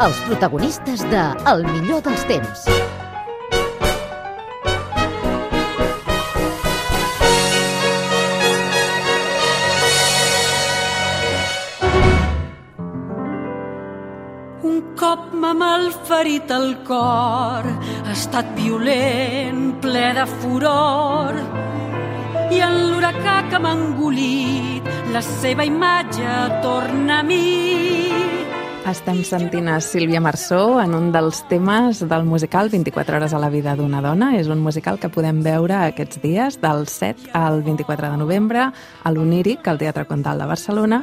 els protagonistes de El millor dels temps. Un cop m'ha malferit el cor, ha estat violent, ple de furor, i en l'huracà que m'ha engolit, la seva imatge torna a mi. Estem sentint a Sílvia Marsó en un dels temes del musical 24 hores a la vida d'una dona. És un musical que podem veure aquests dies, del 7 al 24 de novembre, a l'Oníric, al Teatre Comtal de Barcelona,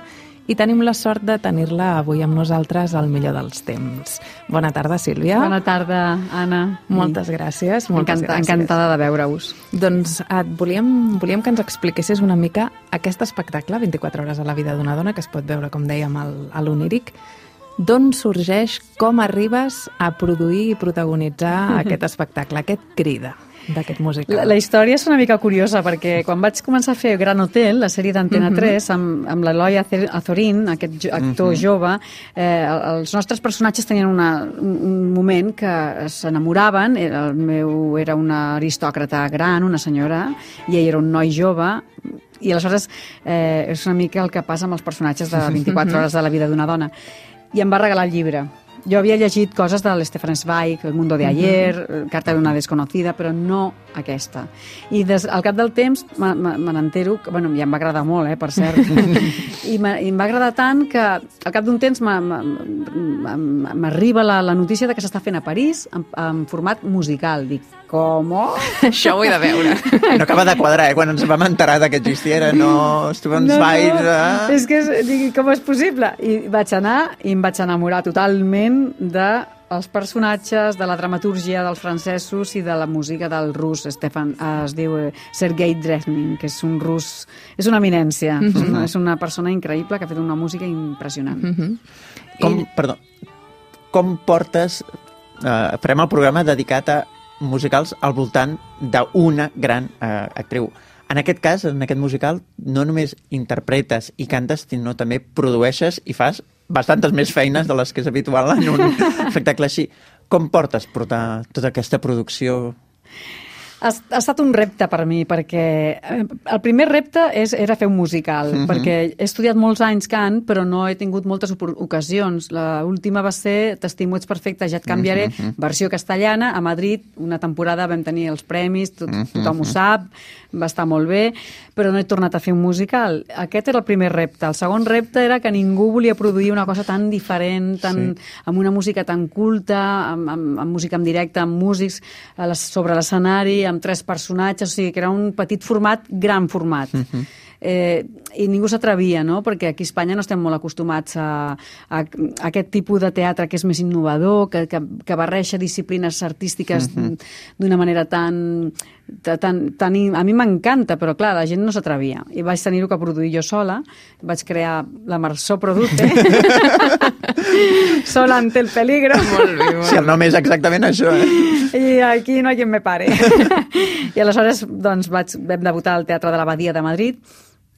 i tenim la sort de tenir-la avui amb nosaltres al millor dels temps. Bona tarda, Sílvia. Bona tarda, Anna. Moltes gràcies. Encantada de veure-us. Doncs volíem que ens expliquessis una mica aquest espectacle, 24 hores a la vida d'una dona, que es pot veure, com dèiem, a l'Oníric. D'on sorgeix, com arribes a produir i protagonitzar aquest espectacle, aquest crida d'aquest musical? La història és una mica curiosa, perquè quan vaig començar a fer Gran Hotel, la sèrie d'Antena 3, amb l'Eloi Azorín, aquest actor jove, els nostres personatges tenien un moment que s'enamoraven. El meu era una aristòcrata gran, una senyora, i ell era un noi jove, i aleshores és una mica el que passa amb els personatges de 24 hores de la vida d'una dona. I em va regalar el llibre. Jo havia llegit coses de l'Stefan Zweig, El mundo de ayer, Carta d'una desconocida, però no aquesta. I al cap del temps me n'entero, bueno, ja em va agradar molt, per cert, i em va agradar tant que al cap d'un temps m'arriba la notícia de que s'està fent a París en format musical. Dic, com? Això ho he de veure. No acaba de quadrar, quan ens vam enterar que existiera, no Stefan Zweig... És que, com és possible? I vaig anar i em vaig enamorar totalment dels personatges, de la dramatúrgia dels francesos i de la música del rus. Es diu Sergei Drezhnin, que és un rus... És una eminència. És una persona increïble que ha fet una música impressionant. Com portes... farem el programa dedicat a musicals al voltant d'una gran actriu. En aquest cas, en aquest musical, no només interpretes i cantes, sinó també produeixes i fas bastantes més feines de les que és habitual en un espectacle així. Com portes portar tota aquesta producció? Ha estat un repte per mi, perquè el primer repte era fer un musical, perquè he estudiat molts anys cant, però no he tingut moltes ocasions. L'última va ser T'estimo, ets perfecte, ja et canviaré, versió castellana, a Madrid. Una temporada vam tenir els premis, tothom ho sap, va estar molt bé, però no he tornat a fer un musical. Aquest era el primer repte. El segon repte era que ningú volia produir una cosa tan diferent, amb una música tan culta, amb música en directe, amb músics sobre l'escenari, amb 3 personatges, o sigui que era un petit format, gran format. I ningú s'atrevia, no? Perquè aquí a Espanya no estem molt acostumats a aquest tipus de teatre que és més innovador, que barreja disciplines artístiques d'una manera tan... A mi m'encanta, però clar, la gent no s'atrevia. I vaig tenir-ho que produir jo sola. Vaig crear la Marsó Produce. Sola ante el peligro. Molt bé, molt bé. Sí, el nom és exactament això, I aquí no hi ha qui me pare. I aleshores doncs, vam debutar al Teatre de l'Abadia de Madrid.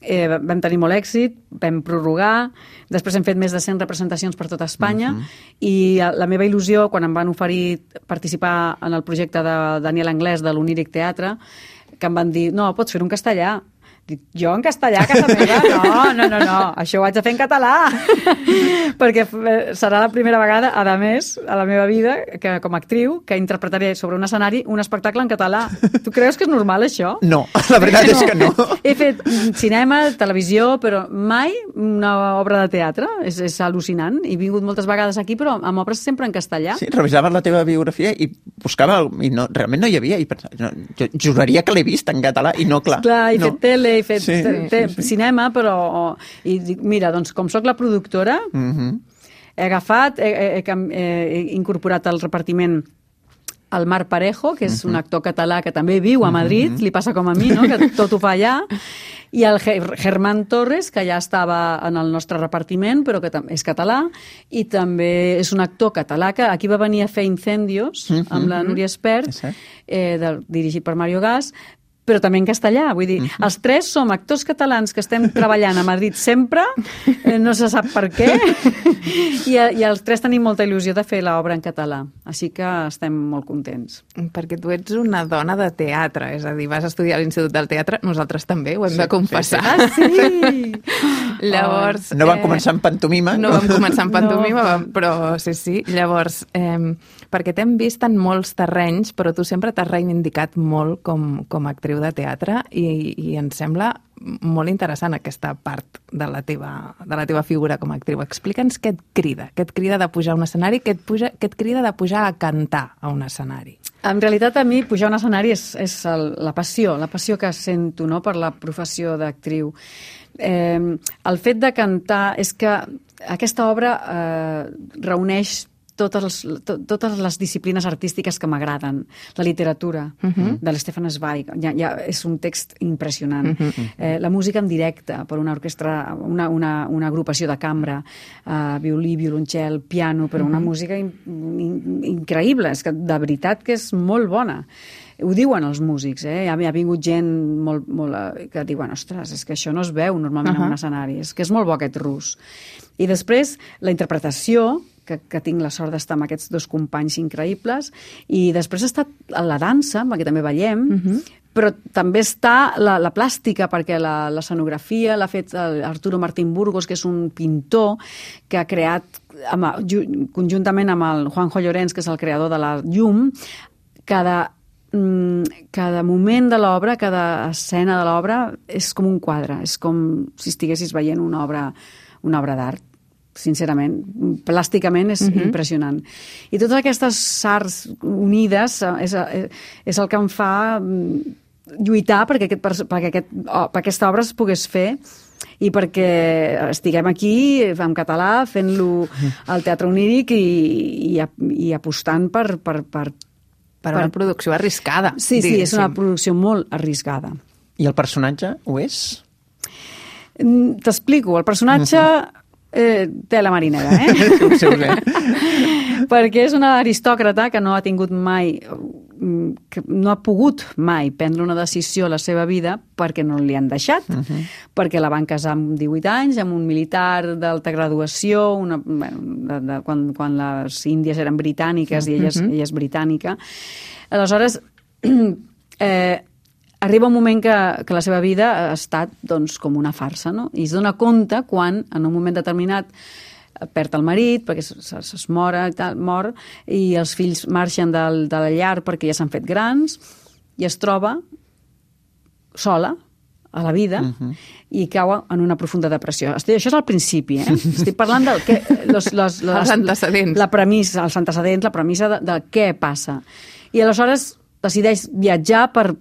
Vam tenir molt èxit, vam prorrogar, després hem fet més de 100 representacions per tota Espanya, i la meva il·lusió, quan em van oferir participar en el projecte de Daniel Anglès de l'Oníric Teatre, que em van dir, no, pots fer-ho en castellà. Dic, jo en castellà a casa meva? No, això ho haig de fer en català. Perquè serà la primera vegada, a més, a la meva vida, que com a actriu, que interpretaré sobre un escenari un espectacle en català. Tu creus que és normal, això? No, la veritat és que no. He fet cinema, televisió, però mai una obra de teatre. És al·lucinant. He vingut moltes vegades aquí, però amb obres sempre en castellà. Sí, revisaves la teva biografia i buscava, i realment no hi havia, i pensava, jo juraria que l'he vist en català, i no, clar. Clar, he fet tele, he fet cinema, però... I dic, mira, doncs, com sóc la productora, he agafat, he incorporat al repartiment el Marc Parejo, que és un actor català que també viu a Madrid, li passa com a mi, no? Que tot ho fa allà, i el Germán Torres, que ja estava en el nostre repartiment, però que és català, i també és un actor català que aquí va venir a fer Incendios, amb la Núria Espert, dirigit per Mario Gas, però també en castellà. Vull dir, els tres som actors catalans que estem treballant a Madrid sempre, no se sap per què, i els tres tenim molta il·lusió de fer l'obra en català. Així que estem molt contents. Perquè tu ets una dona de teatre, és a dir, vas estudiar a l'Institut del Teatre, nosaltres també, ho hem de confessar. Sí! Llavors... No vam començar amb pantomima. No vam començar amb pantomima, però sí. Llavors, perquè t'hem vist en molts terrenys, però tu sempre t'has reivindicat molt com a actriu de teatre i ens sembla molt interessant aquesta part de la teva figura com a actriu. Explica'ns què et crida de pujar a un escenari, què et crida de pujar a cantar a un escenari. En realitat, a mi pujar a un escenari és la passió que sento, no?, per la professió d'actriu. El fet de cantar és que aquesta obra reuneix totes les disciplines artístiques que m'agraden. La literatura de l'Stefan Zweig, ja és un text impressionant. La música en directe per una orquestra, una agrupació de cambra, violí, violoncel, piano, però una música increïble. És que de veritat que és molt bona. Ho diuen els músics, ha vingut gent que diuen, ostres, és que això no es veu normalment en un escenari, és que és molt bo aquest rus. I després, la interpretació, que tinc la sort d'estar amb aquests dos companys increïbles, i després ha estat la dansa, perquè també ballem, però també està la plàstica, perquè l'escenografia l'ha fet Arturo Martín Burgos, que és un pintor que ha creat, conjuntament amb el Juanjo Llorens, que és el creador de la llum, cada moment de l'obra, cada escena de l'obra és com un quadre, és com si estiguessis veient una obra d'art. Sincerament, plàsticament és impressionant. I totes aquestes arts unides és el que em fa lluitar perquè aquesta obra es pogués fer i perquè estiguem aquí en català fent-lo al Teatre Oníric i apostant per una producció arriscada. Sí, és una producció molt arriscada. I el personatge ho és? T'explico. El personatge té la marinera, perquè és una aristòcrata que no ha tingut mai, que no ha pogut mai prendre una decisió a la seva vida perquè no li han deixat, perquè la van casar amb 18 anys, amb un militar d'alta graduació, quan les Índies eren britàniques i ella és britànica. Aleshores, arriba un moment que la seva vida ha estat com una farsa, no? I es dona compte quan, en un moment determinat, perd el marit, perquè es mor, i els fills marxen de la llar perquè ja s'han fet grans, i es troba sola a la vida i cau en una profunda depressió. Això és al principi, Estic parlant del que... Els antecedents. Els antecedents, la premissa de què passa. I aleshores decideix viatjar per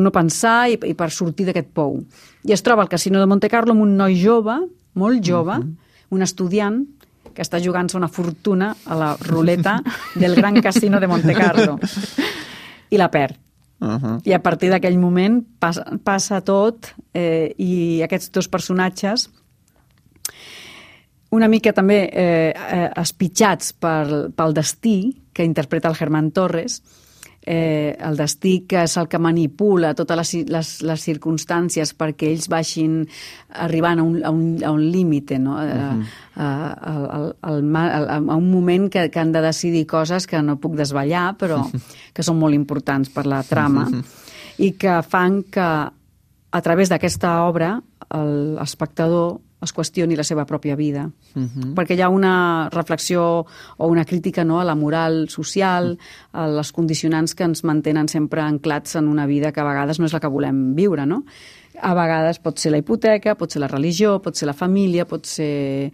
no pensar i per sortir d'aquest pou. I es troba al Casino de Monte Carlo amb un noi jove, molt jove, un estudiant, que està jugant-se una fortuna a la ruleta del Gran Casino de Monte Carlo. I la perd. I a partir d'aquell moment passa tot i aquests dos personatges una mica també espitjats pel destí que interpreta el Germán Torres, el destí que és el que manipula totes les circumstàncies perquè ells vagin arribant a un límit, no? A un moment que han de decidir coses que no puc desvetllar, però que són molt importants per la trama i que fan que a través d'aquesta obra l'espectador es qüestioni la seva pròpia vida. Perquè hi ha una reflexió o una crítica, no?, a la moral social, a les condicionants que ens mantenen sempre anclats en una vida que a vegades no és la que volem viure, no? A vegades pot ser la hipoteca, pot ser la religió, pot ser la família, pot ser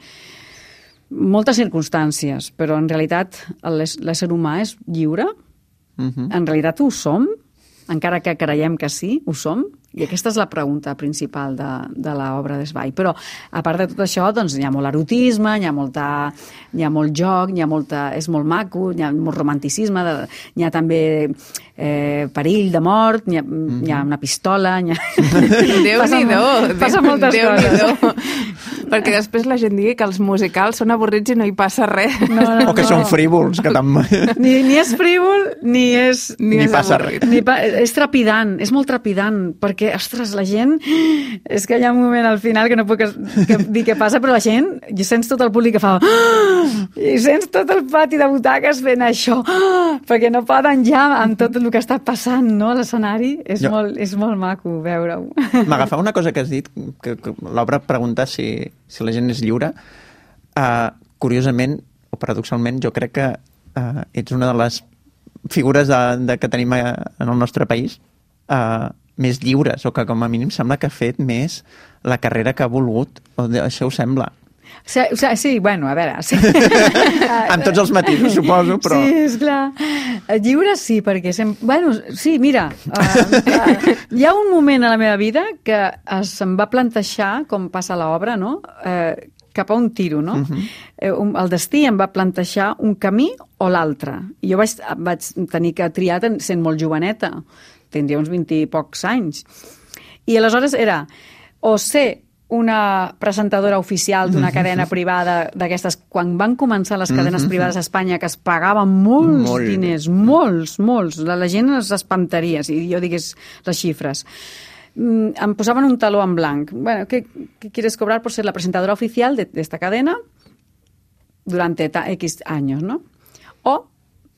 moltes circumstàncies, però en realitat l'ésser humà és lliure. En realitat ho som, encara que creiem que sí, ho som. I aquesta és la pregunta principal de l'obra de Zweig. Però, a part de tot això, doncs, hi ha molt erotisme, hi ha molt joc, és molt maco, hi ha molt romanticisme, hi ha també perill de mort, hi ha una pistola... Déu-n'hi-do! Passa moltes coses. Perquè després la gent digui que els musicals són avorrits i no hi passa res. O que són frívols, que Ni és frívol, ni és... Ni passa res. És trepidant, és molt trepidant, perquè, ostres, la gent... És que hi ha un moment al final que no puc dir què passa, però la gent, i sents tot el públic que fa... I sents tot el pati de butaques fent això, perquè no poden ja amb tot el que està passant, no?, a l'escenari. És molt maco veure-ho. M'agafava una cosa que has dit, que l'obra pregunta si la gent és lliure. Curiosament, o paradoxalment, jo crec que ets una de les figures que tenim en el nostre país més lliures, o que com a mínim sembla que ha fet més la carrera que ha volgut. Això ho sembla. Sí, bueno, a veure... Sí. Amb tots els matisos, suposo, però... Sí, esclar. Lliure sí, perquè... Bueno, sí, mira, hi ha un moment a la meva vida que se'm va plantejar, com passa a l'obra, no?, cap a un tiro, no? El destí em va plantejar un camí o l'altre. I jo vaig tenir que triar sent molt joveneta. Tindria uns 20 i pocs anys. I aleshores era o ser una presentadora oficial d'una cadena privada d'aquestes, quan van començar les cadenes privades a Espanya, que es pagaven molts diners, molts. La gent s'espantaria si jo digués les xifres. Em posaven un taló en blanc. Bueno, ¿qué quieres cobrar por ser la presentadora oficial de esta cadena durante X años, no? O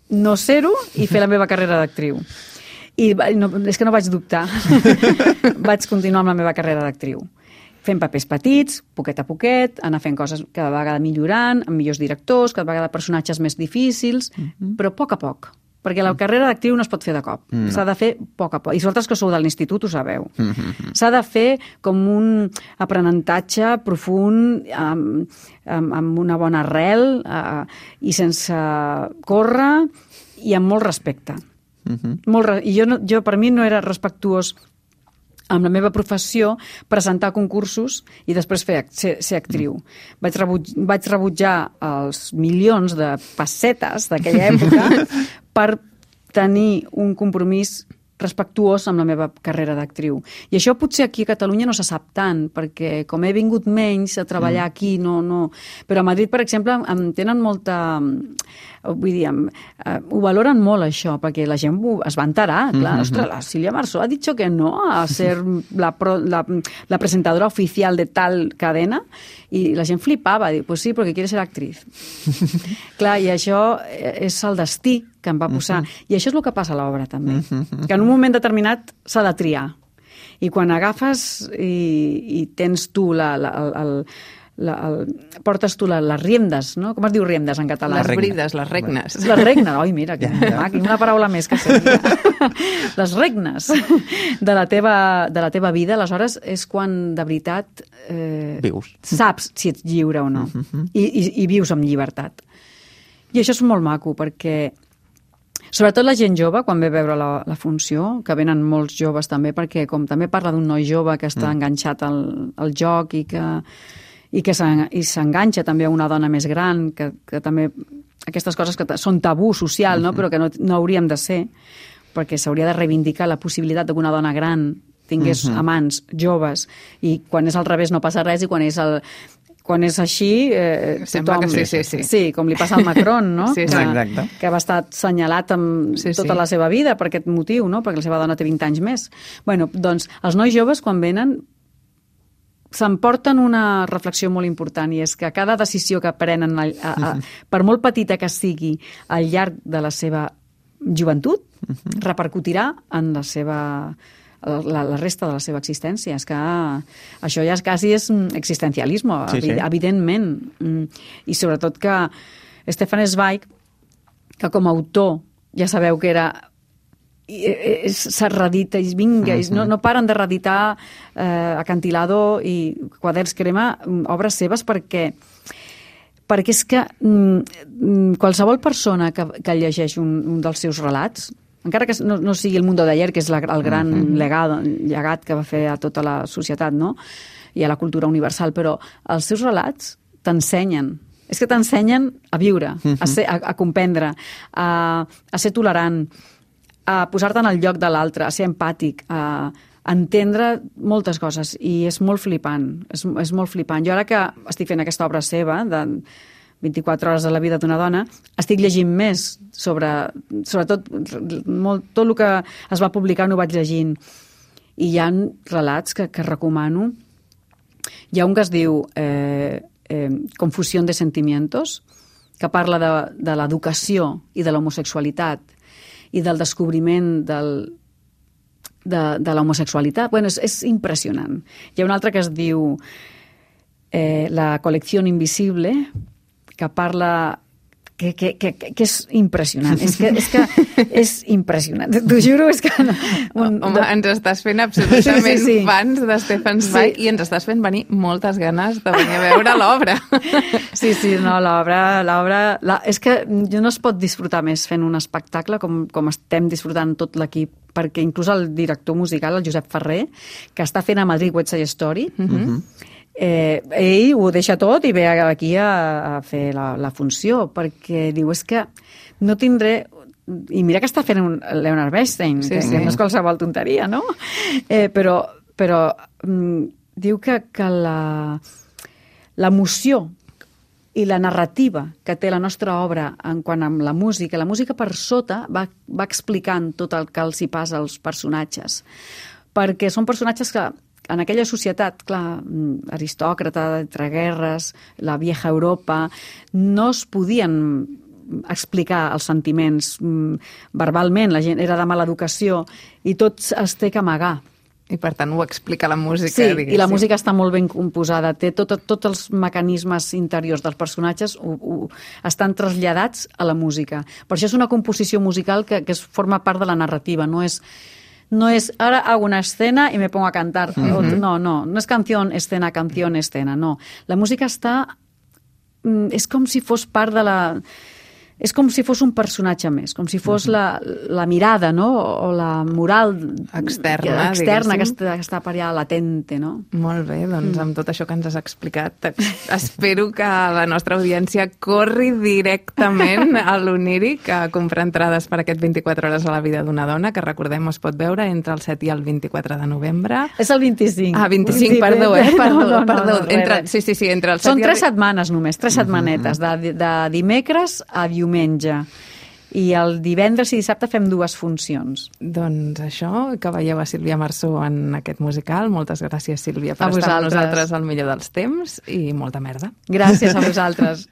no ser-ho i fer la meva carrera d'actriu. I és que no vaig dubtar. Vaig continuar amb la meva carrera d'actriu. Fent papers petits, poquet a poquet, anar fent coses cada vegada millorant, amb millors directors, cada vegada personatges més difícils, però a poc. Perquè la carrera d'actriu no es pot fer de cop. S'ha de fer a poc. I vosaltres que sou de l'institut ho sabeu. S'ha de fer com un aprenentatge profund, amb una bona arrel i sense córrer i amb molt respecte. I jo per mi no era respectuós amb la meva professió presentar concursos i després ser actriu. Vaig rebutjar els milions de pessetes d'aquella època per tenir un compromís respectuós amb la meva carrera d'actriu. I això potser aquí a Catalunya no se sap tant, perquè com he vingut menys a treballar aquí, no... Però a Madrid, per exemple, em tenen molta... Vull dir, ho valoren molt, això, perquè la gent es va enterar. Clar, ostres, la Sílvia Marsó ha dit que no a ser la presentadora oficial de tal cadena, i la gent flipava, diu, pues sí, perquè quiere ser actriz. Clar, i això és el destí que em va posar. I això és el que passa a l'obra, també. Que en un moment determinat s'ha de triar. I quan agafes i tens tu portes tu les riendes, no? Com es diu riendes en català? Les brides, les regnes. Les regnes, oi, mira, que una paraula més que seria. Les regnes de la teva vida, aleshores és quan de veritat saps si ets lliure o no. I vius amb llibertat. I això és molt maco, perquè sobretot la gent jove, quan ve a veure la funció, que venen molts joves també, perquè com també parla d'un noi jove que està enganxat al joc i s'enganxa també a una dona més gran, que també aquestes coses que són tabú social, no? Però que no hauríem de ser, perquè s'hauria de reivindicar la possibilitat que una dona gran tingués amants joves, i quan és al revés no passa res, i quan és així, sembla tothom... que sí. Sí, com li passa al Macron, no? Sí. Que va estar assenyalat amb tota la seva vida per aquest motiu, no? Perquè la seva dona té 20 anys més. Bueno, doncs, els nois joves, quan venen, s'emporten una reflexió molt important, i és que cada decisió que prenen, per molt petita que sigui al llarg de la seva joventut, repercutirà en la resta de la seva existència. És que això ja quasi és existencialisme, evidentment. I sobretot que Stefan Zweig, que com a autor ja sabeu que era s'ha reedita i vinga, no paren de reeditar Acantilado i Quaderns Crema, obres seves, perquè és que qualsevol persona que llegeix un dels seus relats, encara que no sigui El mundo de ayer, que és el gran llegat que va fer a tota la societat, no? I a la cultura universal, però els seus relats t'ensenyen. És que t'ensenyen a viure, a comprendre, a ser tolerant, a posar-te en el lloc de l'altre, a ser empàtic, a entendre moltes coses i és molt flipant, és molt flipant. Jo ara que estic fent aquesta obra seva de 24 hores de la vida d'una dona, estic llegint més sobretot tot el que es va publicar ho vaig llegint i hi ha relats que recomano. Hi ha un que es diu Confusión de sentimientos, que parla de l'educació i de l'homosexualitat i del descobriment de l'homosexualitat. Bueno, és impressionant. Hi ha un altre que es diu La colección invisible, que parla... que és impressionant. És que és impressionant. T'ho juro, és que... Home, ens estàs fent absolutament fans de Stefan Zweig i ens estàs fent venir moltes ganes de venir a veure l'obra. Sí, no, l'obra... És que no es pot disfrutar més fent un espectacle com estem disfrutant tot l'equip, perquè inclús el director musical, el Josep Ferrer, que està fent a Madrid West Side Story, ell ho deixa tot i ve aquí a fer la funció, perquè diu, és que no tindré... I mira que està fent Leonard Bernstein, que no és qualsevol tonteria, no? Però diu que l'emoció i la narrativa que té la nostra obra en quant a la música per sota va explicant tot el que els hi passa als personatges, perquè són personatges que en aquella societat, clar, aristòcrata, entre guerres, la vieja Europa, no es podien explicar els sentiments verbalment, la gent era de mala educació i tot es té que amagar. I per tant ho explica la música, diguéssim. I la música està molt ben composada, té tots els mecanismes interiors dels personatges estan traslladats a la música. Per això és una composició musical que forma part de la narrativa, no és ahora hago una escena y me pongo a cantar. No es canción, escena, no. La música està... És com si fos part de la... És com si fos un personatge més, com si fos la mirada, no? O la moral externa que està per allà latente, no? Molt bé, doncs amb tot això que ens has explicat, espero que la nostra audiència corri directament a l'Oníric a comprar entrades per aquest 24 hores a la vida d'una dona, que recordem es pot veure entre el 7 i el 24 de novembre. És el 25. Ah, 25, perdó, Perdó. Sí, entre el 7 Són 3 setmanes només, 3 setmanetes, de dimecres a diumenge. I el divendres i dissabte fem 2 funcions. Doncs això, que veieu a Sílvia Marsó en aquest musical. Moltes gràcies, Sílvia, per estar amb nosaltres al millor dels temps i molta merda. Gràcies a vosaltres.